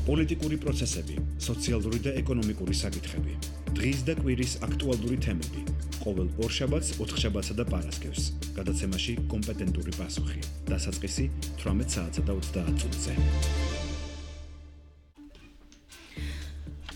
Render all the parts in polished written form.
პოლიტიკური პროცესები, სოციალური და ეკონომიკური საკითხები, დღის და კვირის აქტუალური თემები, ყოველ ორშაბათს, ოთხშაბათსა და პარასკევს, გადაცემაში კომპეტენტური პასუხი, დასაწყისი 18 საათსა და 30 წუთზე.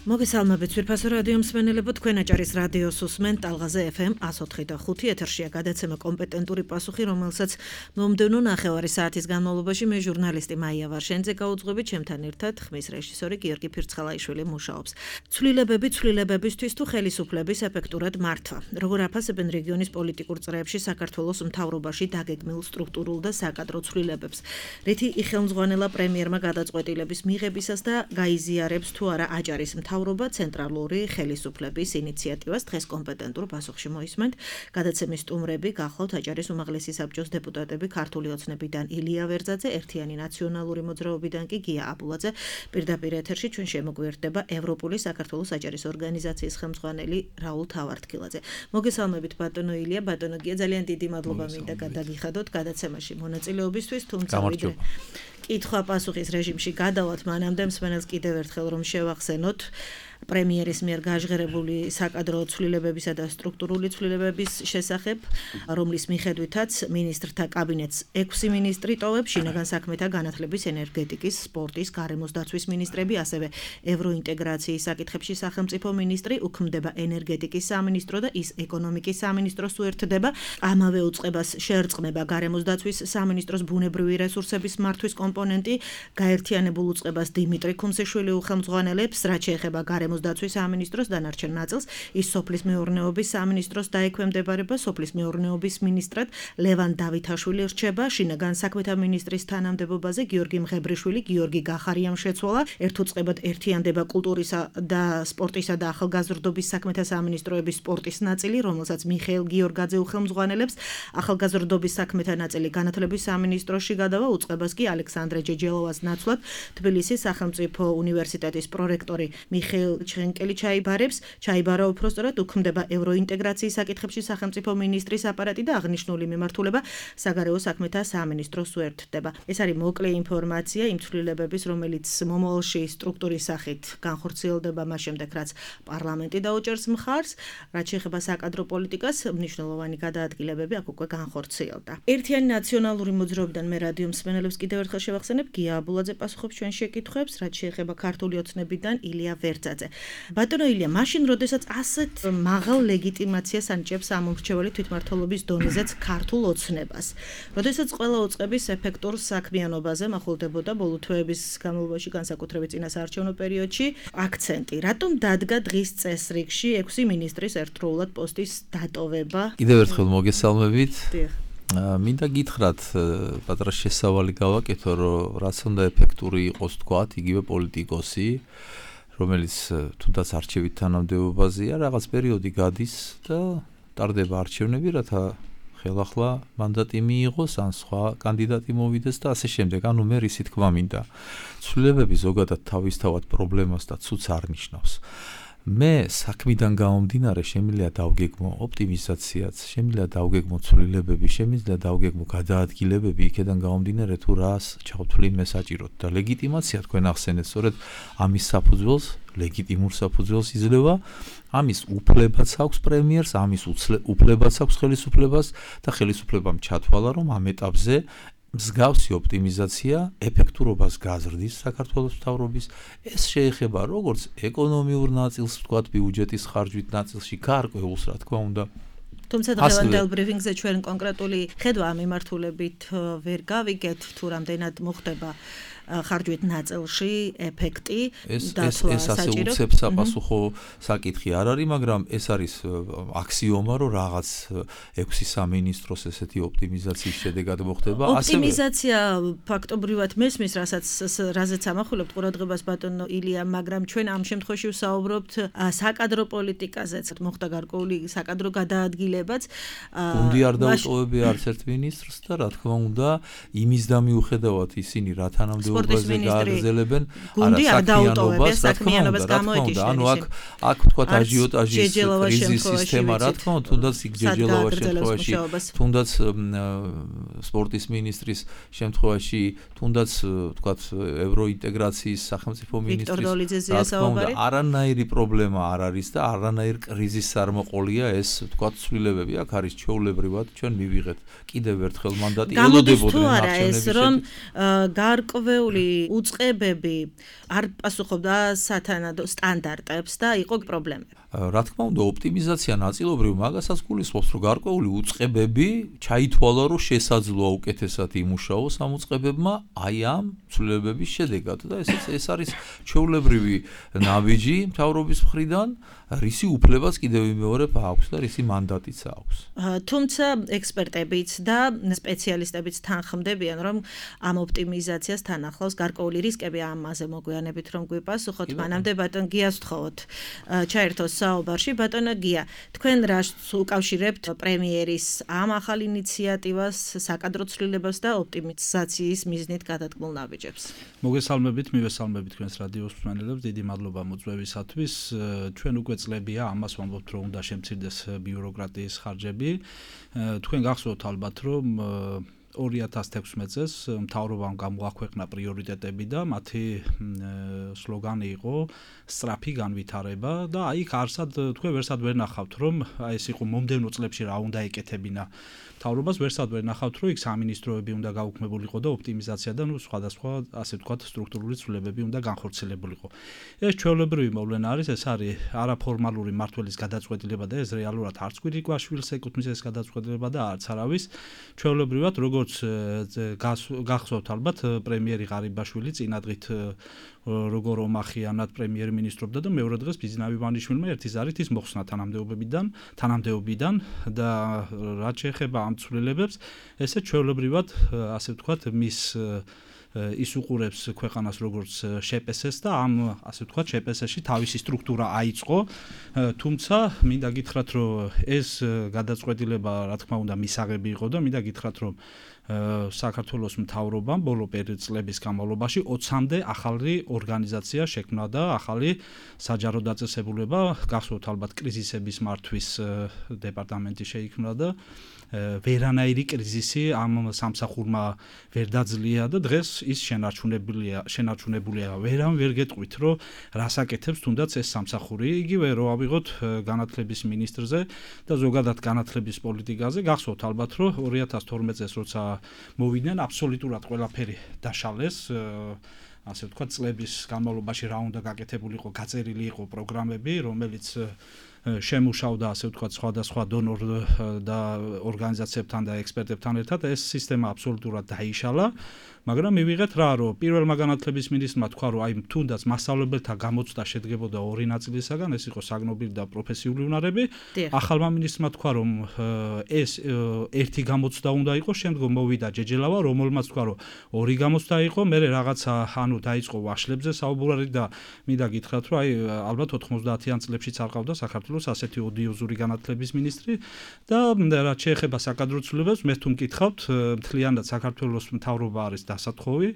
მოგესალმებით ძვირფასო რადიო მსმენელებო, თქვენ აჭარის რადიოს უსმენთ ტალღაზე FM 104.5 ეთერშია გადაცემა კომპეტენტური პასუხი, რომელსაც მომდევნო ნახევარი საათის განმავლობაში მე ჟურნალისტი მაია ვარშენძე გაუძღვებით, ჩემთან ერთად ხმის რეჟისორი გიორგი ფირცხალაიშვილი მუშაობს. ცვლილებებისთვის თუ ხელისუფლების ეფექტურად მართვა. Როგორ აფასებენ რეგიონის პოლიტიკურ წრეებში საქართველოს მთავრობაში დაგეგმილ სტრუქტურულ და საკადრო ცვლილებებს. რითი იხელმძღვანელა პრემიერმა გადაწყვეტილების მიღებისას და გაიზიარებს თუ არა აჭარის მთავრობა ცენტრალური ხელისუფლების ინიციატივას. დღეს კომპეტენტურ პასუხში მოისმენთ გადაცემის სტუმრები გახლავთ აჭარის უმაღლესი საბჭოს დეპუტატები ქართული ოცნებიდან ილია ვერძაძე, ერთიანი ნაციონალური მოძრაობიდან კი გია აბულაძე. პირდაპირ ეთერში ჩვენ შემოგვიერთდება ევროპული საქართველოს აჭარის ორგანიზაციის ხელმძღვანელი რაულ თავართქილაძე. მოგესალმებით ბატონო ილია, ბატონო გია, ძალიან დიდი მადლობა მინდა გადაგიხადოთ გადაცემაში მონაწილეობისთვის, თუმცა ვიდრე კითხვა-პასუხის რეჟიმში გადავალთ, მანამდე მსმენელს კიდევ ერთხელ რომ შევახსენოთ პრემიერის მიერ გაჟღერებული საკადრო ცვლილებებისა და სტრუქტურული ცვლილებების შესახებ, რომლის მიხედვითაც მინისტრთა კაბინეტს 6 მინისტრი ტოვებს, შინაგან საქმეთა, განათლების, ენერგეტიკის, სპორტის, გარემოს დაცვის მინისტრები, ასევე ევროინტეგრაციის საკითხებში სახელმწიფო მინისტრი, უქმდება ენერგეტიკის სამინისტრო და ის ეკონომიკის სამინისტროს უერთდება. ამავე უწყებას შეერწყმება გარემოს დაცვის სამინისტროს ბუნებრივი რესურსების მართვის კომპონენტი, გაერთიანებულ უწყებას დიმიტრი ქუმსიშვილი უხელმძღვანელებს, რაც შეეხება გარემოს დაცვის სამინისტროს დანარჩენ ნაწილს, ის სოფლის მეურნეობის სამინისტროს დაექვემდებარება, სოფლის მეურნეობის მინისტრად ლევან დავითაშვილი რჩება, შინაგან საქმეთა მინისტრის თანამდებობაზე გიორგი მღებრიშვილი, გიორგი გახარიამ შეცვალა, ერთ უწყებად ერთიანდება კულტურისა და სპორტისა და ახალგაზრდობის საქმეთა სამინისტროების სპორტის ნაწილი, რომელსაც მიხეილ გიორგაძე უხელმძღვანელებს, ახალგაზრდობის საქმეთა ნაწილი განათლების სამინისტროში გადავა, უწყებას კი ალექსანდრე ჯეჯელოვას ნაცვლად თბილისის სახელმწიფო უნივერსიტეტის პრორექტორი მიხეილ ჩხენკელი ჩაიბარა უпростоრად, უქმდება ევროინტეგრაციის საკითხებში სახელმწიფო მინისტრის აპარატი და აღნიშნული მიმართულება საგარეო საქმეთა სამინისტროს უერთდება. ეს არის მოკლე ინფორმაცია იმ ცვლილებების, რომელიც მომავალში სტრუქტურის სახით განხორციელდება მას შემდეგ, რაც პარლამენტი დაუჭერს მხარს, რაც შეეხება საკადრო პოლიტიკას, მნიშვნელოვანი გადაადგილებები აქ უკვე განხორციელდა. ერთიანი ნაციონალური მოძრაობიდან მე რადიო მსმენელებს კიდევ ერთხელ შევახსენებ, გია აბულაძე პასუხობს ჩვენ შეკითხვებს, რაც შეეხება ქართული ოცნებიდან ილია ვერძაძე. ბატონო ილია, მაშინ როდესაც ასეთ მაღალ ლეგიტიმაციას ანიჭებს ამომრჩეველი თვითმმართველობის დონეზეც ქართულ ოცნებას, როდესაც ყველა უწყების ეფექტურ საქმიანობაზე მახვილდებოდა ბოლო თვეების განმავლობაში, განსაკუთრებით წინასაარჩევნო პერიოდში აქცენტი, რატომ დადგა დღის წესრიგში 6 მინისტრის ერთდროულად პოსტის დატოვება? კიდევ ერთხელ მოგესალმებით. მინდა გითხრათ, პატარა შესავალი გავაკეთო, რომ რაც უნდა ეფექტური იყოს თქვათ, იგივე პოლიტიკოსი, რომელიც თუნდაც არჩევით თანამდებობაზეა, რაღაც პერიოდი გადის და ტარდება არჩევნები, რათა ხელახლა მანდატი მიიღოს, ან სხვა კანდიდატი მოვიდეს და ასე შემდეგ. ანუ მე ისი თქვა მინდა. ცვლილებები ზოგადად თავისთავად პრობლემას და ცუდს არ ნიშნავს. მე საქმიდან გამომდინარე შემიძლია დავგეგმო ოპტიმიზაციაც, შემიძლია დავგეგმო ცვლილებები, შემიძლია დავგეგმო გადაადგილებები, იქედან გამომდინარე თუ რას ჩავთვლი მე საჭიროდ და ლეგიტიმაცია თქვენ ახსენეთ, სწორედ ამის საფუძველს, ლეგიტიმურ საფუძველს იძლევა, ამის უფლებაც აქვს პრემიერს, ამის უფლებაც აქვს ხელისუფლებას და ხელისუფლებამ ჩათვალა, რომ ამ ეტაპზე მსგავსი ოპტიმიზაცია ეფექტურობას გაზრდის საქართველოს მთავრობის. ეს შეეხება როგორც ეკონომიურ ნაწილს, ვთქვათ, ბიუჯეტის ხარჯვით ნაწილში, გარკვეულს, რა თქმა უნდა. თუმცა დღევანდელ ბრიფინგზე ჩვენ კონკრეტული ხედვა ამ მიმართულებით ვერ გავიგეთ, თუ რამდენად მოხდება ხარჯვით ნაწილში ეფექტი დაცვა ეს ასე საჭირო. უცებ საპასუხო საკითხი არ არის, მაგრამ ეს არის აქსიომა, რომ რაღაც 6 სამინისტროს ესეთი ოპტიმიზაციის შედეგად მოხდება. ოპტიმიზაცია ფაქტობრივად მესმის, რაზეც ამახვილებთ ყურადღებას ბატონო ილია, მაგრამ ჩვენ ამ შემთხვევაში ვსაუბრობთ საკადრო პოლიტიკაზეც, მოხდა გარკვეული საკადრო გადაადგილებაც. გუნდი არ დაუტოვებია არც ერთ მინისტრს და რა თქმა უნდა, იმის და მიუხედავად ისინი რა თანამდებობაზე სპორტის მინისტრი გააგრძელებენ გუნდი არ დაუტოვებია საქმიანობას გამოეთიშნენ. ანუ აქ თქვა აჟიოტაჟის კრიზის სისტემა, რა თქმა უნდა, თუნდაც იქ ჯეჯელოვას შემთხვევაში, თუნდაც სპორტის მინისტრის შემთხვევაში, თუნდაც თქვა ევროინტეგრაციის სახელმწიფო მინისტრის, რა თქმა უნდა, არანაირი პრობლემა არ არის და არანაირ კრიზისს არ მოყოლია ეს თქვა ცვლილებები. აქ არის ჩვეულებრივად ჩვენ მივიღეთ კიდევ ერთხელ მანდატი ელოდებოდნენ არჩევნების ეს რომ გარკვეული უწყებები არ პასუხობდა სათანადო სტანდარტებს და იყო პრობლემები. რა თქმა უნდა, ოპტიმიზაცია ნაწილობრივ მაგასაც გულისხმობს, რომ გარკვეული უწყებები ჩაითვალა, რომ შესაძლოა უკეთესად იმუშაოს ამ უწყებებმა აი ამ ცვლილებების შედეგად და ეს არის ჩვეულებრივი ნაბიჯი მთავრობის მხრიდან, რისი უფლებაც კიდევ ვიმეორებ აქვს და რისი მანდატიც აქვს. თუმცა ექსპერტებიც და სპეციალისტებიც თანხმდებიან, რომ ამ ოპტიმიზაციას თან ახლავს გარკვეული რისკები. ამაზე მოგვიანებით რომ გვიპასუხოთ, მანამდე ბატონ გიას ვთხოვოთ ჩაერთოს საუბარში. ბატონო გია, თქვენ რას უკავშირებთ პრემიერის ამ ახალ ინიციატივას, საკადრო ცვლილებას და ოპტიმიზაციის მიზნით გადადგმულ ნაბიჯებს? მოგესალმებით, მივესალმებით თქვენს რადიოს მსმენელებს, დიდი მადლობა მოწვევისათვის. ჩვენ უკვე წლებია ამას ვამბობთ, რომ უნდა შემცირდეს ბიუროკრატიის ხარჯები. თქვენ გახსოვთ ალბათ, რომ 2016 წელს მთავრობამ გამოაქვეყნა პრიორიტეტები და მათი სლოგანი იყო სწრაფი განვითარება და აი არსად თქვენ ვერსად ვერ ნახავთ, რომ აი ეს იყო მომდევნო წლებში რა უნდა ეკეთებინა მთავრობას, ვერსად ვერ ნახავთ, რომ იქ სამინისტროები უნდა გაუქმებულიყო და ოპტიმიზაცია და სხვადასხვა ასე ვთქვათ სტრუქტურული ცვლილებები უნდა განხორციელებულიყო. ეს ჩვეულებრივი მოვლენა არის, ეს არის არაფორმალური მმართველის გადაწყვეტილება და ეს რეალურად არც კვირიკვაშვილს ეკუთვნის ეს გადაწყვეტილება და არც არავის. ჩვეულებრივად როგორც გახსოვთ ალბათ, პრემიერი ღარიბაშვილი წინადღით როგორ ომახიანად პრემიერ-მინისტრობდა და მეორე დღეს ბიზნავი ვანიშვილმა ერთი ზარით ის მოხსნა თანამდებობიდან და რაც შეეხება ამ ცვლილებებს, ესე ჩვეულებრივად ასე ვთქვათ მის ის უყურებს ქვეყანას როგორც შპს-ს და ამ ასე ვთქვათ შპს-ში თავისი სტრუქტურა აიწყო, თუმცა მინდა გითხრათ, რომ ეს გადაწყვეტილება რა თქმა უნდა მისაღები იყო და მინდა გითხრათ, რომ საქართველოს მთავრობამ ბოლო წლების განმავლობაში 20-მდე ახალი ორგანიზაცია შექმნა და ახალი საჯარო დაწესებულება, გახსოვთ ალბათ კრიზისების მართვის დეპარტამენტი შეიქმნა და ვერანაირი კრიზისი ამ სამსახურმა ვერ დაძლია და დღეს ის შენარჩუნებულია. ვერამ ვერ გეტყვით, რომ რას აკეთებს თუნდაც ეს სამსახური. იგივე რო ავიღოთ განათლების მინისტრზე და ზოგადად განათლების პოლიტიკაზე, გახსოვთ ალბათ, რომ 2012 წელს როცა მოვიდნენ, აბსოლუტურად ყველაფერი დაშალეს. ასე ვთქვათ, წლების განმავლობაში რა უნდა გაკეთებულიყო, გაწერილი იყო პროგრამები, რომელიც შემუშავდა ასე ვთქვათ სხვადასხვა დონორ და ორგანიზაციებთან და ექსპერტებთან ერთად. ეს სისტემა აბსოლუტურად დაიშალა, მაგრამ მივიღეთ რა, რომ პირველმა განათლების მინისტრმა თქვა, რომ აი თუნდაც მასწავლებელთა გამოცდა შედგებოდა ორი ნაწილისაგან, ეს იყო საგნობილი და პროფესიული უნარები. ახალმა მინისტრმა თქვა, რომ ეს ერთი გამოცდა უნდა იყოს, შემდგომ მოვიდა ჯეჯელავა, რომელმაც თქვა, რომ ორი გამოცდა იყო, მერე რაღაცა ანუ დაიწყო ვაშლებზე საუბარი და მინდა გითხრათ, რომ აი ალბათ 90-იან წლებშიც არ ყავდა საქართველოს ასეთი ოდიოზური განათლების მინისტრი და რაც შეეხება საკადრო ცვლილებებს, მე თუ მკითხავთ, მთლიანად საქართველოს მთავრობა არის დასათხოვი.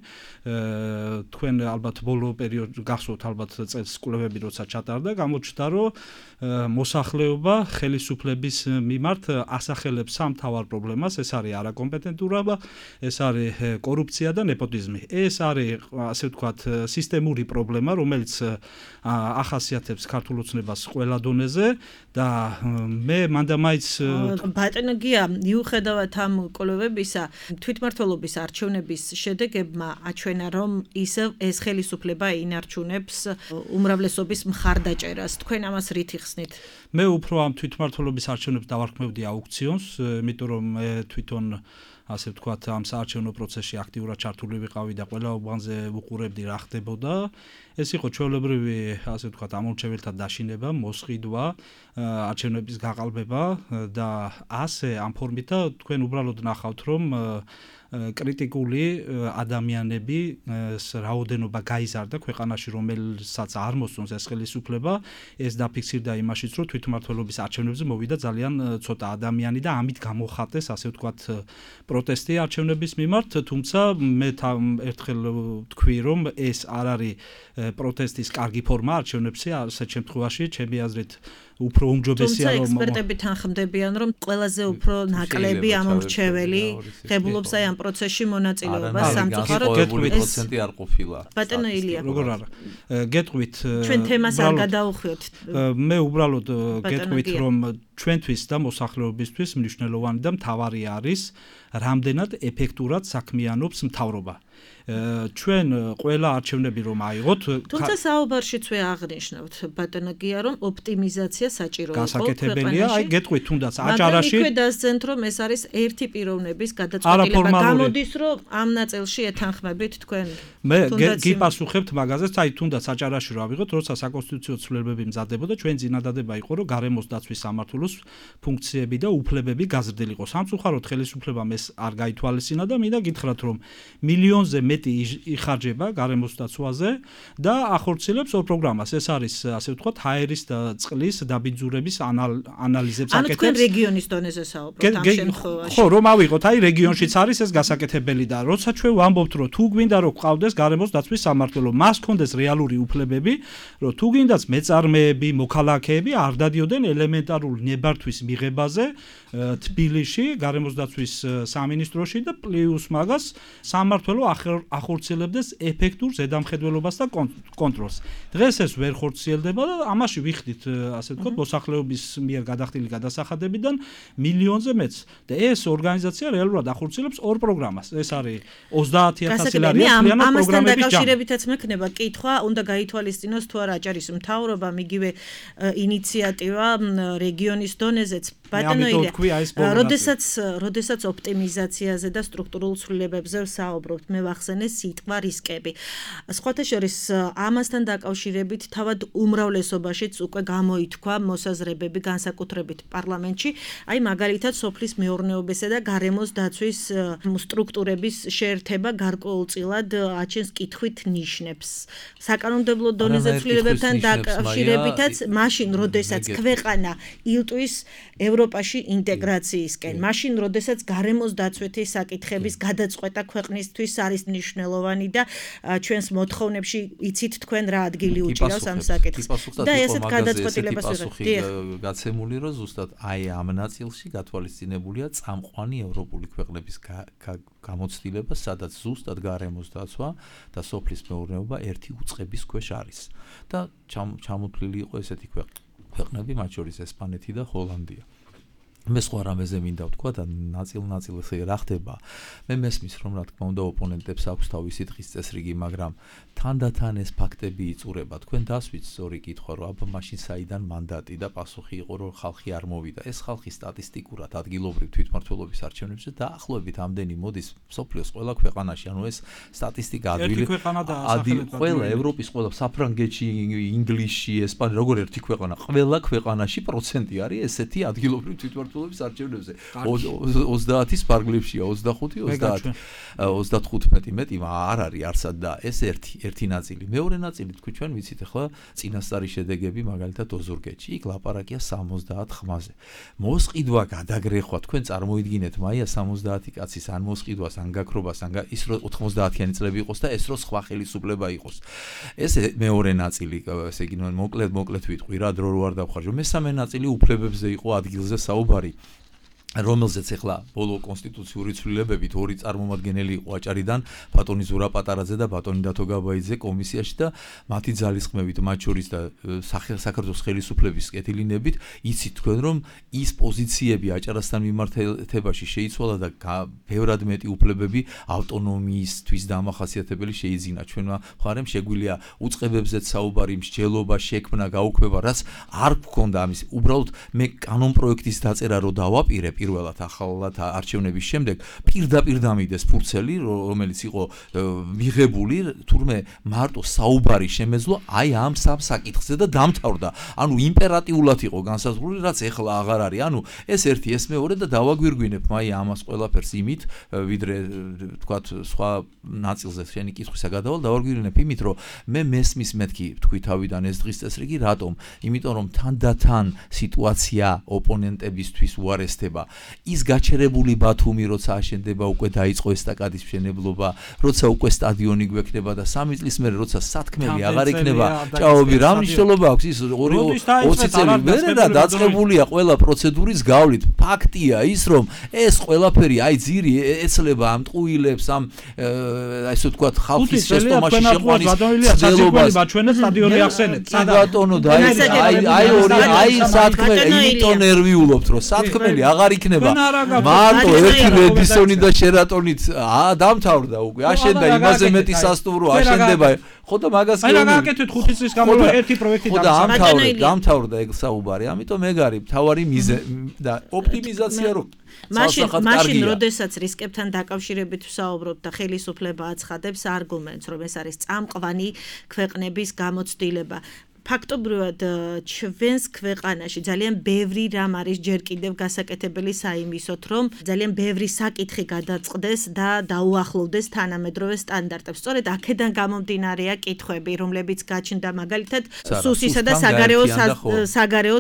თქვენ ალბათ ბოლო პერიოდში გახსოვთ ალბათ წელს კვლევები როცა ჩატარდა, გამოჩნდა, რომ მოსახლეობა ხელისუფლების მიმართ ასახელებს სამ მთავარ პრობლემას, ეს არის არაკომპეტენტურობა, ეს არის კორუფცია და ნეპოტიზმი. ეს არის ასე ვთქვათ სისტემური პრობლემა, რომელიც ახასიათებს ქართულ ოცნებას ყველა დონეზე და მე მანდამაიც ბატონო გია, მიუხედავად ამ კვლევებისა, თვითმმართველობის არჩევნების შედეგებმა აჩვენა, რომ ისევ ეს ხელისუფლება ინარჩუნებს უმრავლესობის მხარდაჭერას. თქვენ ამას რით იხსნით? მე უფრო ამ თვითმმართველობის არჩევნებს დავარქმევდი აუქციონს, იმიტომ რომ მე თვითონ ასე ვთქვათ ამ საარჩევნო პროცესში აქტიურად ჩართული ვიყავი და ყველა უბანზე ვუყურებდი რა ხდებოდა. ეს იყო ჩვეულებრივი ასე ვთქვათ ამორჩეველთა დაშინება, მოსყიდვა, არჩევნების გაყალბება და ასე ამ ფორმით და თქვენ უბრალოდ ნახავთ, რომ კრიტიკული ადამიანები რაოდენობა გაიზარდა ქვეყანაში, რომელსაც არ მოსწონს ეს ხელისუფლება, ეს დაფიქსირდა იმაშიც, რომ თვითმმართველობის არჩევნებზე მოვიდა ძალიან ცოტა ადამიანი და ამით გამოხატეს, ასე ვთქვათ, პროტესტი არჩევნების მიმართ, თუმცა მე ერთხელ თქვი, რომ ეს არ არის პროტესტის კარგი ფორმა არჩევნებზე, ასეთ შემთხვევაში, ჩემი აზრით, უფრო უმჯობესია რომ ექსპერტები თანხმდებიან, რომ ყველაზე უფრო ნაკლები ამორჩეველი ღებულობს აი ამ პროცესში მონაწილეობას სამწუხაროდ 20% არ ყოფილა. ბატონო ილია, როგორ არა? გეტყვით ჩვენ თემას არ გადაუხვიოთ. მე უბრალოდ გეტყვით, რომ ჩვენთვის და მოსახლეობისთვის მნიშვნელოვანი და მთავარი არის რამდენად ეფექტურად საქმიანობს მთავრობა. ჩვენ ყველა არჩევნები რომ აიღოთ, თუმცა საუბარშიც ვე აღნიშნავთ ბატონო გია, რომ ოპტიმიზაცია საჭირო იყო. გასაკეთებელია, აი გეტყვით თუნდაც აჭარაში. მაგრამ იქვე დასძენთ, რომ ეს არის ერთი პიროვნების გადაწყვეტილება. გამოდის, რომ ამ ნაწილში ეთანხმებით თქვენ. მე გიპასუხებთ მაგაზეც, აი თუნდაც აჭარაში რა ვიღოთ, როცა საკონსტიტუციო ცვლილებები მზადდებოდა, ჩვენ წინადადება იყო, რომ გარემოს დაცვის სამმართველოს ფუნქციები და უფლებები გაზრდილიყო. სამწუხაროდ ხელისუფლებამ ეს არ გაითვალისწინა და მინდა გითხრათ, რომ მილიონზე მეტი იხარჯება გარემოს დაცვაზე და ახორციელებს ორ პროგრამას. ეს არის, ასე ვთქვათ, ჰაერის და წყლის დაბინძურების ანალიზებს აკეთებს. ანუ თქვენ რეგიონის დონეზე საუბრობთ ამ შემთხვევაში. ხო, რომ ავიღოთ, აი რეგიონშიც არის ეს გასაკეთებელი და როცა ჩვენ ვამბობთ, რომ თუ გვინდა რომ ყავდეს გარემოს დაცვის სამმართველო, მას ჰქონდეს რეალური უფლებები, რომ თუ გინდაც მეწარმეები, მოქალაქეები არ დადიოდნენ ელემენტარულ ნებართვის მიღებაზე თბილისში, გარემოს დაცვის სამინისტროში და პლუს მაგას სამმართველო ახორციელებდეს ეფექტურ ზედამხედველობას და კონტროლს. დღეს ეს ვერ ხორციელდება და ამაში ვიხდით, ასე ვთქვათ, მოსახლეობის მიერ გადახდილი გადასახადებიდან მილიონზე მეც. და ეს ორგანიზაცია რეალურად ახორციელებს ორ პროგრამას. ეს არის 30,000 ლარი მთლიანად პროგრამების ჯამი. ამასთან დაკავშირებითაც მექნება კითხვა, უნდა გაითვალისწინოს თუ არა აჭარის მთავრობა, იგივე ინიციატივა რეგიონის დონეზეც. ბატონო ილია, როდესაც ოპტიმიზაციაზე და სტრუქტურულ ცვლილებებზე საუბრობთ, მე ვახსენე სიტყვა რისკები. სხვათა შორის ამასთან დაკავშირებით თავად უმრავლესობაშიც უკვე გამოითქვა მოსაზრებები განსაკუთრებით პარლამენტში, აი მაგალითად სოფლის მეურნეობისა და გარემოს დაცვის სტრუქტურების შეერთება გარკვეულწილად აჩენს კითხვით ნიშნებს. საკანონმდებლო დონეზე ცვლილებებთან დაკავშირებითაც მაშინ, როდესაც ქვეყანა ილტვის ევროპაში ინტეგრაციისკენ, მაშინ, როდესაც გარემოს დაცვითი საკითხების გადაწყვეტა ქვეყნისთვის არის მნიშვნელოვანი და ჩვენს მოთხოვნებში იცით თქვენ რა ადგილი უჭირავს ამ საკითხს. და ესეთ გადაწყვეტილებას გაცემული, რომ ზუსტად აი ამ ნაწილში გათვალისწინებულია წამყვანი ევროპული ქვეყნების გამოცდილება, სადაც ზუსტად გარემოს დაცვა და სოფლის მეურნეობა ერთი უწყების ქვეშ არის. და ჩამოთვლილი იყო ესეთი ქვეყნები, მათ შორის ესპანეთი და ჰოლანდია. მე სხვა რამეზე მინდა ვთქვა და ნაწილ ესე რა ხდება. მე მესმის, რომ რა თქმა უნდა ოპონენტებს აქვს თავისი დღის წესრიგი, მაგრამ თანდათან ეს ფაქტები იწურება. თქვენ დასვით სწორი კითხვა, რომ აბა მაშინ საიდან მანდატი და პასუხი იყო, რომ ხალხი არ მოვიდა. ეს ხალხი სტატისტიკურად ადგილობრივ თვითმმართველობის არჩევნებზე დაახლოებით ამდენი მოდის მსოფლიოს ყველა ქვეყანაში. ანუ ეს სტატისტიკა ყველა ევროპის ყველა საფრანგეთში, ინგლისში, ესპანეთში, როგორ ერთი ქვეყანა, ყველა ქვეყანაში პროცენტი არის ესეთი ადგილობრივ თვითმმართველობის არჩევნებზე. 30-ის ფარგლებშია, 25, 35 მეტი არ არის არსად და ეს ერთი ნაწილი. მეორე ნაწილი თქვი ჩვენ ვიცით ახლა წინასწარი შედეგები მაგალითად ოზურგეთში. იქ ლაპარაკია 70 ხმაზე. მოსყიდვა გადაგრეხვა, თქვენ წარმოიდგინეთ მაია 70 კაცის ან მოსყიდვას, ან გაქრობას, ან ის რო 90-იანი წლები იყოს და ეს რო სხვა ხელისუფლება იყოს. ეს მეორე ნაწილი, ესე იგი მოკლედ ვიტყვი რა, დრო რო არ დავხარჯო. მესამე ნაწილი უფლებებზე იყო ადგილზე საუბარი. რომელზეც ახლა ბოლო კონსტიტუციური ცვლილებებით ორი წარმომადგენელი იყო აჭარიდან, ბატონი ზურა პატარაძე და ბატონი დათო გაბაიძე კომისიაში და მათი ძალისხმევით, მათ შორის და საქართველოს ხელისუფლების კეთილინებით, იცით თქვენ რომ ის პოზიციები აჭარასთან მიმართებაში შეიცვალა და ბევრად მეტი უფლებები ავტონომიისთვის დამახასიათებელი შეიძინა. ჩვენმა მხარემ შეგვიძლია უწყებებზეც საუბარი, მსჯელობა, შექმნა, გაუქმება, რაც არ გქონდა ამის. უბრალოდ მე კანონ პროექტის დაწერა რო დავაპირებ პირველად ახალად არჩევნების შემდეგ პირდაპირ დამიდეს ფურცელი, რომელიც იყო მიღებული, თურმე მარტო საუბარი შემეძლო აი ამ სამ საკითხზე და დამთავრდა. ანუ იმპერატიულად იყო განსაზღვრული, რაც ეხლა აღარ არის. ანუ ეს ერთი, ეს მეორე და დავაგვირგვინებ მაი ამას ყველაფერს იმით, ვიდრე თქვათ სხვა ნაწილზე შენი კითხვისა გადავალ, დავაგვირგვინებ იმით, რომ მე მესმის მეთქი თქვი თავიდან ეს დღის წესრიგი, რატომ? იმიტომ რომ თანდათან სიტუაცია ოპონენტებისთვის უარესდება. ის გაჩერებული ბათუმი, როცა აშენდება, უკვე დაიწყო ესტაკადის მშენებლობა, როცა უკვე სტადიონი გვექნება და 3 წლის მერე როცა სათქმელი აღარ იქნება, ჭაობი, რა მნიშვნელობა აქვს ის 20 წელი მერე და დაწყებულია ყველა პროცედურის გავლით. ფაქტია ის, რომ ეს ყველაფერი აი ძირი ეცლება ამ ტყუილებს, ამ ასე ვთქვათ, ხალხის შეცდომაში შეყვანის ცდილობას. ჩვენ სტადიონი ახსენეთ. ბატონო და აი სათქმელი, იმიტომ ნერვიულობთ, რომ სათქმელი აღარ იქნება. მარტო ერთი რედისონი და შერატონით დამთავრდა უკვე. აშენდა იმაზე მეტი სასტუმრო აშენდება. ხო და მაგას კი არა აკეთეთ 5 წლის განმავლობაში ერთი პროექტი დამთავრდა ეგ საუბარი. ამიტომ ეგ არის მთავარი მიზეზი და ოპტიმიზაცია რო მაშინ როდესაც რისკებთან დაკავშირებით ვსაუბრობთ და ხელისუფლება აცხადებს არგუმენტს, რომ ეს არის წამყვანი ქვეყნების გამოცდილება. ფაქტობრივად ჩვენს ქვეყანაში ძალიან ბევრი რამ არის ჯერ კიდევ გასაკეთებელი საიმისოთ, რომ ძალიან ბევრი საკითხი გადაწყდეს და დაუახლოვდეს თანამედროვე სტანდარტებს. სწორედ აქედან გამომდინარეა კითხვები, რომლებიც გაჩნდა მაგალითად სუსისა და საგარეო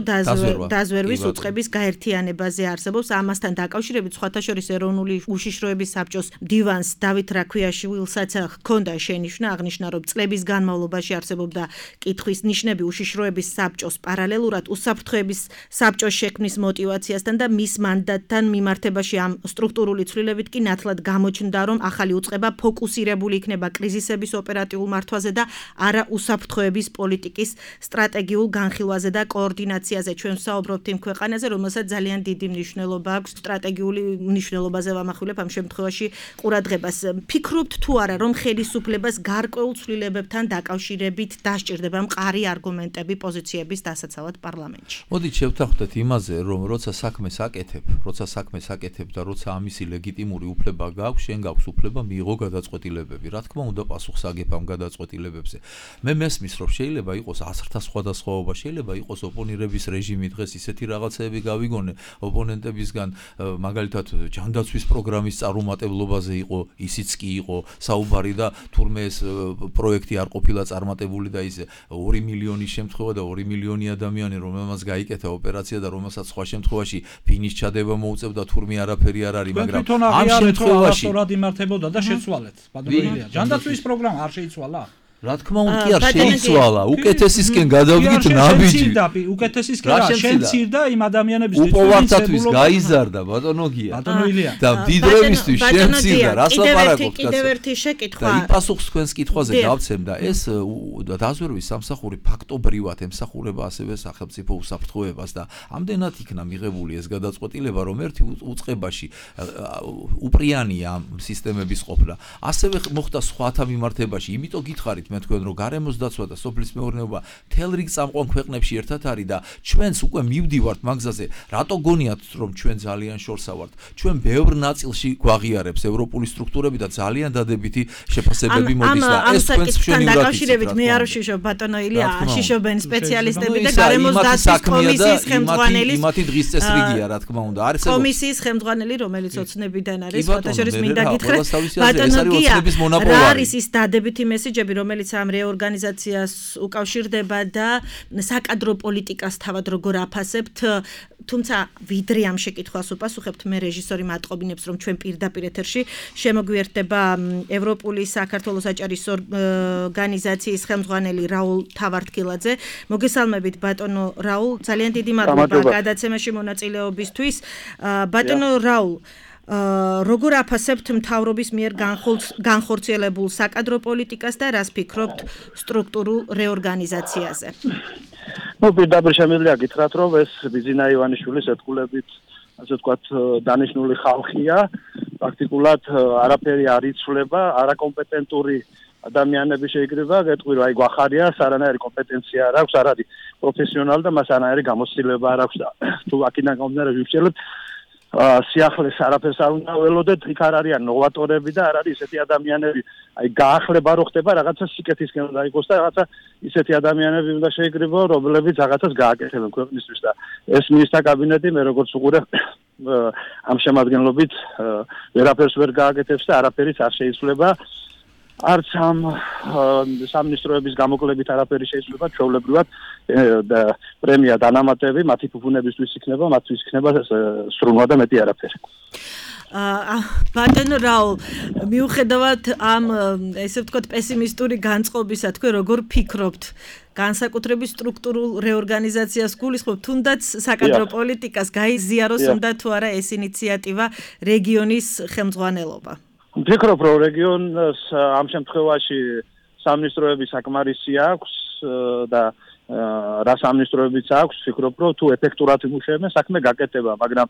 დაზვერვის უწყების გაერთიანებაზე არსებობს. ამასთან დაკავშირებით სხვათა შორის ეროვნული უშიშროების საბჭოს მდივანს დავით რაქვიაშვილსაც ჰქონდა შენიშვნა, აღნიშნა, რომ წლების განმავლობაში არსებობდა კითხვის ნიშნები უშიშროების საბჭოს პარალელურად უსაფრთხოების საბჭოს შექმნის მოტივაციასთან და მის მანდატთან მიმართებაში ამ სტრუქტურული ცვლილებით კი ნათლად გამოჩნდა, რომ ახალი უწყება ფოკუსირებული იქნება კრიზისების ოპერატიულ მართვაზე და არა უსაფრთხოების პოლიტიკის სტრატეგიულ განხილვაზე და კოორდინაციაზე. ჩვენ ვსაუბრობთ იმ ქვეყანაზე, რომელსაც ძალიან დიდი მნიშვნელობა აქვს, სტრატეგიული მნიშვნელობაზე ვამახვილებ ამ შემთხვევაში ყურადღებას. ფიქრობთ თუ არა, რომ ხელისუფლებას გარკვეულ ცვლილებებთან დაკავშირებით დასჭირდება მყარი არგუმენტები პოზიციების დასაცავად პარლამენტში. მოდით შევთანხმდეთ იმაზე, რომ როცა საქმეს აკეთებ და როცა ამისი ლეგიტიმური უფლება გაქვს, შენ გაქვს უფლება მიიღო გადაწყვეტილებები. რა თქმა უნდა, პასუხს აგებ ამ გადაწყვეტილებებზე. მე მესმის, რომ შეიძლება იყოს 100-თა სხვადასხვაობა, შეიძლება იყოს ოპონირების რეჟიმი დღეს ისეთი რაღაცეები გავიგონე ოპონენტებისგან, მაგალითად ჯანდაცვის პროგრამის წარუმატებლობაზე იყო, ისიც კი იყო საუბარი და თურმე ეს პროექტი არ ყოფილა წარმატებული და ისე 2 მილიონის შემთხვევა და 2 მილიონი ადამიანი, რომელმაც გაიკეთა ოპერაცია და რომელსაც სხვა შემთხვევაში ფინის ჩადება მოუწევდა, თურმე არაფერი არ არის, მაგრამ ამ შემთხვევაში სწორად იმართებოდა და შეცვალეთ. ბატონო, ჯანდაცვის პროგრამა არ შეიცვალა? რა თქმა უნდა კი არ შეიცვალა, უკეთესისკენ გადავდგით ნაბიჯი. უკეთესისკენ რა შენ ცირდა იმ ადამიანების უპოვართათვის გაიზარდა ბატონო გია. ბატონო ილია. და დიდრევისთვის შენ ცირდა, რას ლაპარაკობთ? კიდევ ერთი შეკითხვა. და იმ პასუხს თქვენს კითხვაზე გავცემ და ეს დაზვერვის სამსახური ფაქტობრივად ემსახურება ასევე სახელმწიფო უსაფრთხოებას და ამდენად იქნა მიღებული ეს გადაწყვეტილება, რომ ერთი უწყებაში უპრიანია ამ სისტემების ყოფნა. ასევე მოხდა სხვათა მიმართებაში, იმიტომ გითხარით მე თქვენ რომ გარემოს დაცვა და სოფლის მეურნეობა თელ რიგ წამყვან ქვეყნებში ერთად არის და ჩვენს უკვე მივდივართ მაგზაზე. რატო გონიათ რომ ჩვენ ძალიან შორსა ვართ? ჩვენ ბევრ ნაწილში გვაღიარებს ევროპული სტრუქტურები და ძალიან დადებითი შეფასებები მოდის და ეს თქვენს მშვენივრად დაკავშირებით მე არ ვშიშობ ბატონო ილია, შიშობენ სპეციალისტები და გარემოს დაცვის კომისიის ხელმძღვანელი იმათი დღის წესრიგია რა თქმა უნდა. არის კომისიის ხელმძღვანელი, რომელიც ოცნებიდან არის, სხვათა შორის მინდა გითხრათ ბატონო გია, რა არის ის დადებითი მესიჯები, რომელიც ამ რეორგანიზაციას უკავშირდება და საკადრო პოლიტიკას თავად როგორ აფასებთ, თუმცა ვიდრე ამ შეკითხვას უპასუხებთ, მე რეჟისორი მატყობინებს, რომ ჩვენ პირდაპირ ეთერში შემოგვიერთდება ევროპული საქართველოს საჭარისო ორგანიზაციის ხელმძღვანელი რაულ თავართკილაძე. მოგესალმებით ბატონო რაულ, ძალიან დიდი მადლობა გადაცემაში მონაწილეობისთვის. ბატონო რაულ, როგორ აფასებთ მთავრობის მიერ განხორციელებულ საკადრო პოლიტიკას და რას ფიქრობთ სტრუქტურულ რეორგანიზაციაზე? პირდაპირ შემიძლია გითხრათ, რომ ეს ბიზინა ივანიშვილის ეთქულებით, ასე ვთქვათ, დანიშნული ხალხია, პრაქტიკულად არაფერი არ იცვლება, არაკომპეტენტური ადამიანები შეიძლება გეტყვი, რომ აი გვახარია, არანაირი კომპეტენცია არ აქვს, არ არის პროფესიონალი და მას არანაირი გამოცდილება არ აქვს და თუ აქედან გამომდინარე ვიმსჯელებ სიახლეს არაფერს არ უნდა ველოდეთ, იქ არ არიან ნოვატორები და არ არის ისეთი ადამიანები, აი გაახლება რო ხდება რაღაცა სიკეთისკენ უნდა იყოს და რაღაცა ისეთი ადამიანები უნდა შეიკრიბო, რომლებიც რაღაცას გააკეთებენ ქვეყნისთვის და ეს მინისტრთა კაბინეტი მე როგორც უყურე ამ შემადგენლობით ვერაფერს ვერ გააკეთებს და არაფერიც არ შეიცვლება. არც ამ სამინისტროების გამოკლებით არაფერი შეიძლება ჩვეულებრივად და პრემია დანამატები მათი ფუფუნებისთვის იქნება, მათთვის იქნება სრუნვა და მეტი არაფერი. ბატონო რაულ, მიუხედავად ამ ესე ვთქვათ პესიმისტური განწყობისა, თქვენ როგორ ფიქრობთ განსაკუთრებით სტრუქტურულ რეორგანიზაციას გულისხმობთ, თუნდაც საკადრო პოლიტიკას გაიზიაროს უნდა თუ არა ეს ინიციატივა რეგიონის ხელმძღვანელობა? ვფიქრობ, რომ რეგიონს ამ შემთხვევაში სამინისტროები საკმარისი აქვს და რა სამინისტროებიც აქვს, ვფიქრობ, რომ თუ ეფექტურად იმუშავებენ, საქმე გაკეთდება, მაგრამ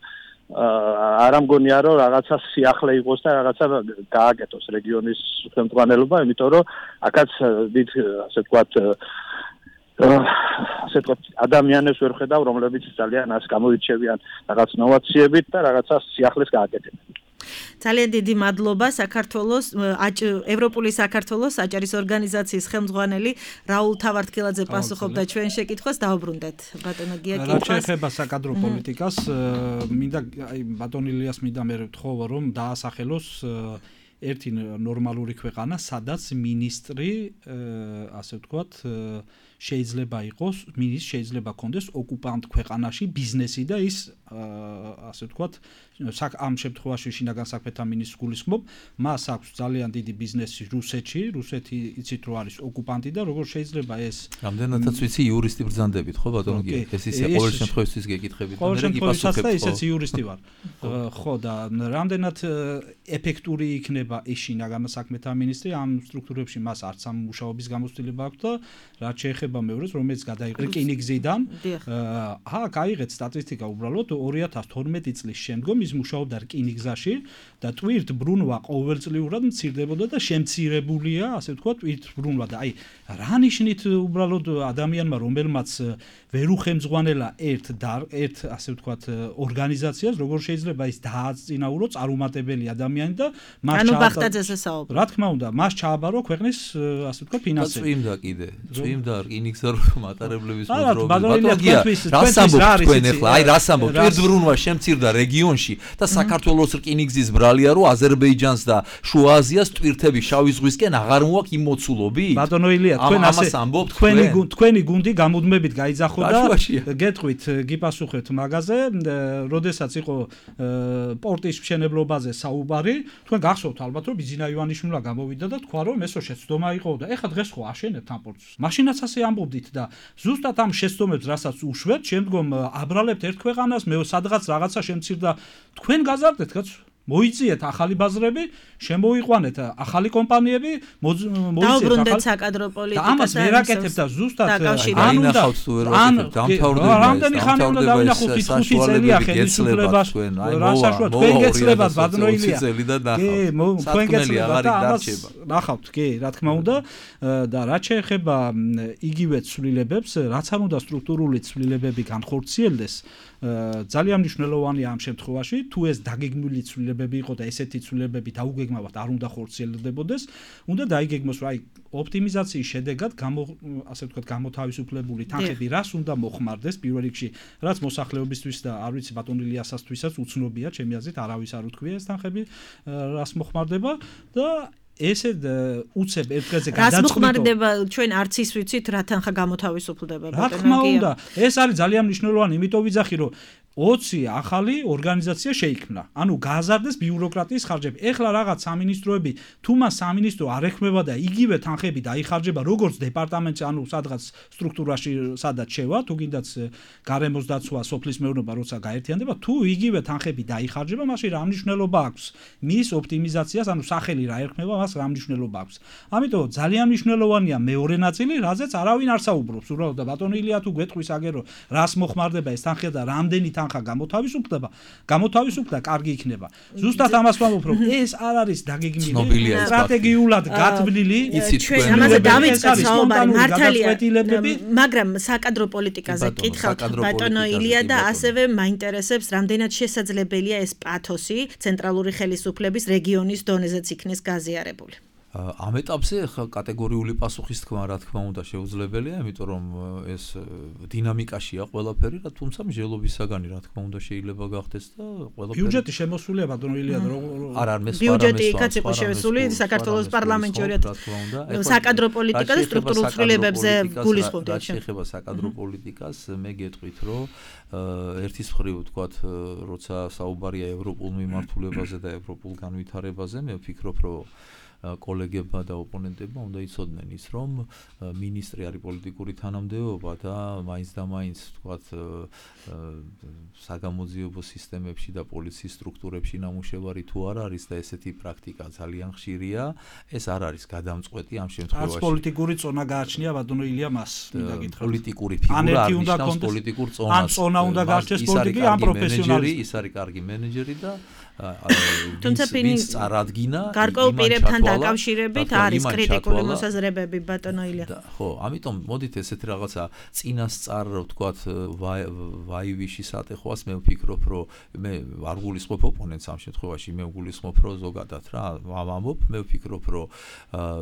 არ ამგონია, რომ რაღაცა სიახლე იყოს და რაღაცა გააკეთოს რეგიონის ხელმძღვანელობა, იმიტომ რომ აქაც დიდ ასე ვთქვათ ადამიანებს ვერ ხედავ, რომლებიც ძალიან ას გამოირჩევიან რაღაც ნოვაციებით და რაღაცა სიახლეს გააკეთებენ. ძალიან დიდი მადლობა საქართველოს ევროპული საქართველოს აჭარის ორგანიზაციის ხელმძღვანელი რაულ თავართქილაძე პასუხობდა ჩვენ შეკითხვას. დავუბრუნდეთ ბატონო გია კითხვას. რა შეეხება საკადრო პოლიტიკას, მინდა აი ბატონ ილიას მინდა მე ვთხოვ რომ დაასახელოს ერთი ნორმალური ქვეყანა, სადაც მინისტრი ასე ვთქვათ შეიძლება იყოს, შეიძლება კონდეს ოკუპანტ ქვეყანაში ბიზნესი და ის ასე ვთქვათ ამ შემთხვევაში შინაგან საქმეთა მინისტრს გულისხმობ, მას აქვს ძალიან დიდი ბიზნესი რუსეთში, რუსეთი იცით რომ არის ოკუპანტი და როგორ შეიძლება ეს რამდენადაც ვიცი იურისტი ბრძანდებით, ხო ბატონო გია, ეს ისე ყოველ შემთხვევაში გეკითხებით, მე გიპასუხებ, და ისეც იურისტი ვარ. ხო და რამდენად ეფექტური იქნება ეს შინაგან საქმეთა მინისტრი ამ სტრუქტურებში მას არც ამ მუშაობის გამოცდილება აქვს და რაც შეეხება მეორეს, რომელიც გადაიღო რკინიგზიდან, გაიღეთ სტატისტიკა უბრალოდ 2012 წლის შემდგომ ის მუშაობდა რკინიგზაში და ტვირთ ბრუნვა ყოველწლიურად მცირდებოდა და შემცირებულია, ასე ვთქვათ, ტვირთ ბრუნვა და აი რა ნიშნით უბრალოდ ადამიანმა რომელმაც ვერ უხემძღვანელა ერთ ასე ვთქვათ ორგანიზაციას, როგორ შეიძლება ის დააწინაურო წარუმატებელი ადამიანი და მას ანუ ბახტაძეს ესაუბრა. რა თქმა უნდა, მას ჩააბარო ქვეყნის ასე ვთქვათ ფინანსები. წვიმდა კიდე, წვიმდა რკინიგზა მატარებლების მოძრაობის. ბატონო გია, რას ამბობთ თქვენ ახლა? აი რას ამბობთ? ტვირთ ბრუნვა შემცირდა რეგიონში და საქართველოს რკინიგზის ბრალია რომ აზერბაიჯანს და შუა აზიას ტვირთები შავი ზღვისკენ აღარ მოაქვს იმ მოცულობი? ბატონო ილია, თქვენ ასე ამბობთ, თქვენი გუნდი გამუდმებით გაიძახო და გეტყვით, გიპასუხეთ მაგაზე, როდესაც იყო პორტის მშენებლობაზე საუბარი, თქვენ გახსოვთ ალბათ რომ ბიზინა ივანიშვილმა გამოვიდა და თქვა რომ ესო შეცდომა იყო და ეხლა დღეს ხო აშენებთ ამ პორტს. მაშინაც ასე ამბობდით და ზუსტად ამ შეცდომებს რასაც უშვებთ, შემდგომ აბრალებთ ერთ ქვეყანას, მე სადღაც რაღაცა შემცირდა, თქვენ გაზარდეთ კაცო. მოიწიეთ ახალი ბაზრები, შემოიყვანეთ ახალი კომპანიები, დაუბრუნდეთ საკადრო პოლიტიკას. და ამას ვერ აკეთებ და ზუსტად დაინახავთ თუ ვერ აკეთებ, დამთავრდება. რამდენი ხანი უნდა დავინახოთ 5 წელია ხელისუფლებას. რა საშუალო თქვენ გეცლებათ ბატონო ილია. კი, თქვენ გეცლებათ და ამას ნახავთ, კი, რა თქმა უნდა და რაც შეეხება იგივე ცვლილებებს, რაც არ უნდა სტრუქტურული ცვლილებები განხორციელდეს, ძალიან მნიშვნელოვანია ამ შემთხვევაში, თუ ეს დაგეგმილი ცვლილებები იყო და ესეთი ცვლილებები დაუგეგმავად არ უნდა ხორციელდებოდეს, უნდა დაიგეგმოს, რომ აი ოპტიმიზაციის შედეგად ასე ვთქვათ გამოთავისუფლებული თანხები რას უნდა მოხმარდეს პირველ რიგში, რაც მოსახლეობისთვის და არ ვიცი ბატონ ილიასასთვისაც უცნობია, ჩემი აზრით არავის არ უთქვია ეს თანხები რას მოხმარდება და ესე უცებ ერთ დღეზე გადაწყვიტო. რას მოხმარდება ჩვენ არც ის ვიცით რა თანხა გამოთავისუფლდება ბატონო გია. რა თქმა უნდა, ეს არის ძალიან მნიშვნელოვანი, იმიტომ ვიძახი რომ 20 ახალი ორგანიზაცია შეიქმნა. ანუ გააზარდეს ბიუროკრატიის ხარჯები. ეხლა რაღაც სამინისტროები, თუ მას სამინისტრო არ ეხმება და იგივე თანხები დაიხარჯება როგორც დეპარტამენტში, ანუ სადღაც სტრუქტურაში სადაც შევა, თუ გინდაც გარემოს დაცვა, სოფლის მეურნეობა როცა გაერთიანდება, თუ იგივე თანხები დაიხარჯება, მაშინ რა მნიშვნელობა აქვს მის ოპტიმიზაციას, ანუ სახელი რა ეხმება, მას რა მნიშვნელობა აქვს. ამიტომ ძალიან მნიშვნელოვანია მეორე ნაწილი, რაზეც არავინ არ საუბრობს. უბრალოდ და ბატონო ილია თუ გვეტყვის აგერო, რას მოხმარდება ეს თანხი და რამდენი თანხა გამოთავისუფლდება, კარგი იქნება. ზუსტად ამას ვამბობ, რომ ეს არ არის დაგეგმილი, სტრატეგიულად გათვლილი, ჩვენ ამაზე დავიწყეთ საუბარი, მართალია, მაგრამ საკადრო პოლიტიკაზე კითხავთ ბატონო ილია და ასევე მაინტერესებს, რამდენად შესაძლებელია ეს პათოსი ცენტრალური ხელისუფლების რეგიონის დონეზეც იქნეს გაზიარებული. ამ ეტაპზე ხა კატეგორიული პასუხის თქმა რა თქმა უნდა შეუძლებელია, იმიტომ რომ ეს დინამიკაშია ყველაფერი, თუმცა მსჯელობისაგანი რა თქმა უნდა შეიძლება გახდეს და ყველაფერი ბიუჯეტი შემოსულია ბატონო ილია არ ბიუჯეტი იქაც იყო შესული საქართველოს პარლამენტში საკადრო პოლიტიკა და სტრუქტურულ ცვლილებებზე გულისხმობდა. შეეხება საკადრო პოლიტიკას, მე გეტყვით რომ ერთის მხრივ ვთქვათ, როცა საუბარია ევროპულ მიმართულებაზე და ევროპულ განვითარებაზე, მე ვფიქრობ რომ კოლეგებმა და ოპონენტებმა უნდა იცოდნენ ის, რომ მინისტრი არის პოლიტიკური თანამდებობა და მაინც და მაინც ვთქვათ საგამოძიებო სისტემებში და პოლიციის სტრუქტურებში ნამუშევარი თუ არ არის და ესეთი პრაქტიკა ძალიან ხშირია, ეს არ არის გადამწყვეტი ამ შემთხვევაში. არც პოლიტიკური წონა გააჩნია ბატონო ილია მას, მინდა გითხრათ. პოლიტიკური ფიგურა არ ნიშნავს პოლიტიკურ წონას. ან წონა უნდა გაჩნდეს პოლიტიკი, ან პროფესიონალი. ის არის კარგი მენეჯერი და თუმცა ვინც წარადგინა გარკვეულ პირებთან დაკავშირებით არის კრიტიკული მოსაზრებები ბატონო ილია. ხო, ამიტომ მოდით ესეთ რაღაცა წინასწარ ვთქვათ ვაივიში სატეხვას მე ვფიქრობ რომ მე არ გულისხმობ ოპონენტს ამ შემთხვევაში, მე ვგულისხმობ რომ ზოგადად რა ვამბობ, მე ვფიქრობ რომ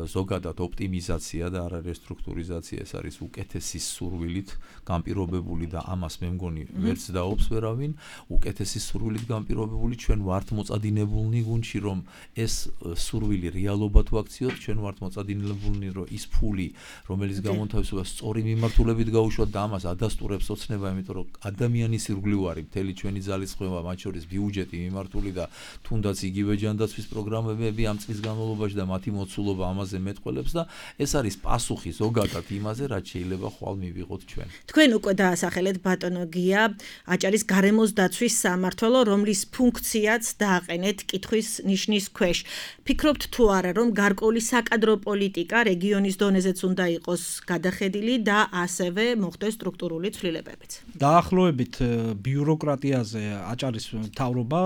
ზოგადად ოპტიმიზაცია და არა რესტრუქტურიზაცია ეს არის უკეთესი სურვილით განპირობებული და ამას მე მგონი ვერც დაობს ვერავინ, უკეთესი სურვილით განპირობებული ჩვენ ვართ მოწადინებულნი გუნდში რომ ეს სურვილი რეალობად ვაქციოთ, ჩვენ ვართ მოწადინებულნი რომ ის ფული რომელიც გამონთავისუფლება სწორი მიმართულებით გაუშვათ და ამას ადასტურებს ოცნება, იმიტომ რომ ადამიანის ირგვლივარი მთელი ჩვენი ძალისხმევა, მათ შორის ბიუჯეტი მიმართული და თუნდაც იგივე ჯანდაცვის პროგრამები ამ წლის განმავლობაში და მათი მოცულობა ამაზე მეტყველებს და ეს არის პასუხი ზოგადად იმაზე, რაც შეიძლება ხვალ მივიღოთ ჩვენ. თქვენ უკვე დაასახელეთ ბატონო გია აჭარის გარემოს დაცვის სამმართველო, რომლის ფუნქციაც დააყენეთ კითხვის ნიშნის ქვეშ. ფიქრობთ თუ არა, რომ გარკვეული საკადრო პოლიტიკა რეგიონის დონეზეც უნდა იყოს გადახედილი და ასევე მოხდეს სტრუქტურული ცვლილებებიც? დაახლოებით ბიუროკრატიაზე აჭარის მთავრობა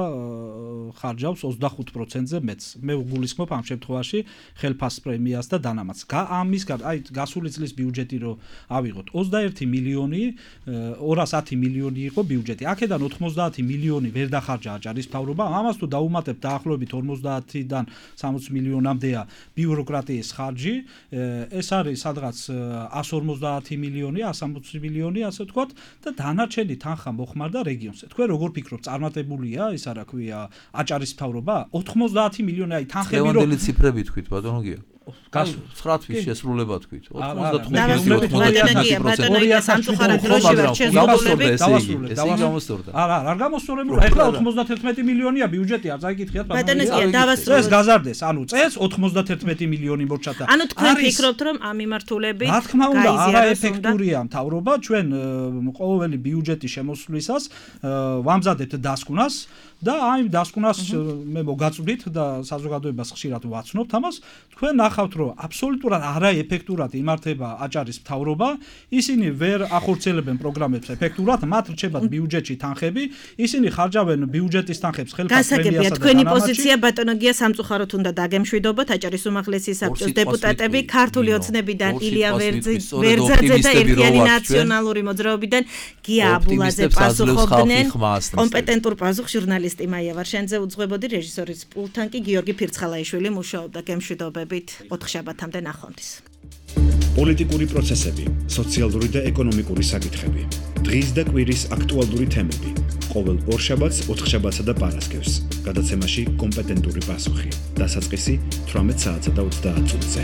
ხარჯავს 25%-ზე მეც. მე ვგულისხმობ ამ შემთხვევაში ხელფას პრემიას და დანამატს. ამის აი გასული წლის ბიუჯეტი რო ავიღოთ 21 მილიონი 210 მილიონი იყო ბიუჯეტი. აქედან 90 მილიონი ვერ დახარჯა აჭარის მთავრობა. ამას თუ დაუმატებ დაახლოებით 50-დან 60 მილიონამდეა ბიუროკრატიის ხარჯი, ეს არის სადღაც 150 მილიონი, 160 მილიონი, ასე ვთქვათ, და დანარჩენი თანხა მოხმარდა რეგიონზე. თქვენ როგორ ფიქრობთ, წარმატებულია ის არა ქვია აჭარის მთავრობა? 90 მილიონი აი თანხები რო ლევანდელი ციფრები თქვით ბატონო გია. 9 თვის შესრულება თქვით. 95%. არ გამოსწორებული. ეხლა 91 მილიონია ბიუჯეტი, არ წაიკითხიათ ბატონო გია. წეს გაზარდეს, ანუ წეს 91 მილიონი მორჩათა. ანუ თქვენ ფიქრობთ რომ ამ მიმართულებით რა თქმა უნდა არაეფექტურია მთავრობა, ჩვენ ყოველი ბიუჯეტის შემოსვლისას ვამზადებთ დასკვნას და აი დასკვნას მე მოგაწვდით და საზოგადოებას ხშირად ვაცნობთ ამას. თქვენ ნახავთ რომ აბსოლუტურად არაეფექტურად იმართება აჭარის მთავრობა, ისინი ვერ ახორციელებენ პროგრამებს ეფექტურად, მათ რჩებათ ბიუჯეტში თანხები, ისინი ხარჯავენ ბიუჯეტის თანხებს ხელფას პრემიასა და თქვენი პოზიცია ბატონო გია სამწუხაროდ უნდა დაგემშვიდობოთ. აჭარის უმაღლესი საბჭოს დეპუტატები ქართული ოცნებიდან ილია ვერძაძე და ერთიანი ნაციონალური მოძრაობიდან გია აბულაძე პასუხობდნენ. კომპეტენტურ პასუხს ჟურნალისტი მაია ვარშენძე უძღვებოდი, რეჟისორის პულტთან კი გიორგი ფირცხალაიშვილი მუშაობდა. გემშვიდობებით 4 შაბათამდე ნახვამდის. პოლიტიკური პროცესები, სოციალური და ეკონომიკური საკითხები, დღის და კვირის აქტუალური თემები. ყოველ ორშაბათს, 4 შაბათსა და პარასკევს. გადაცემაში კომპეტენტური პასუხი. დასაწყისი 18 საათსა და 30 წუთზე.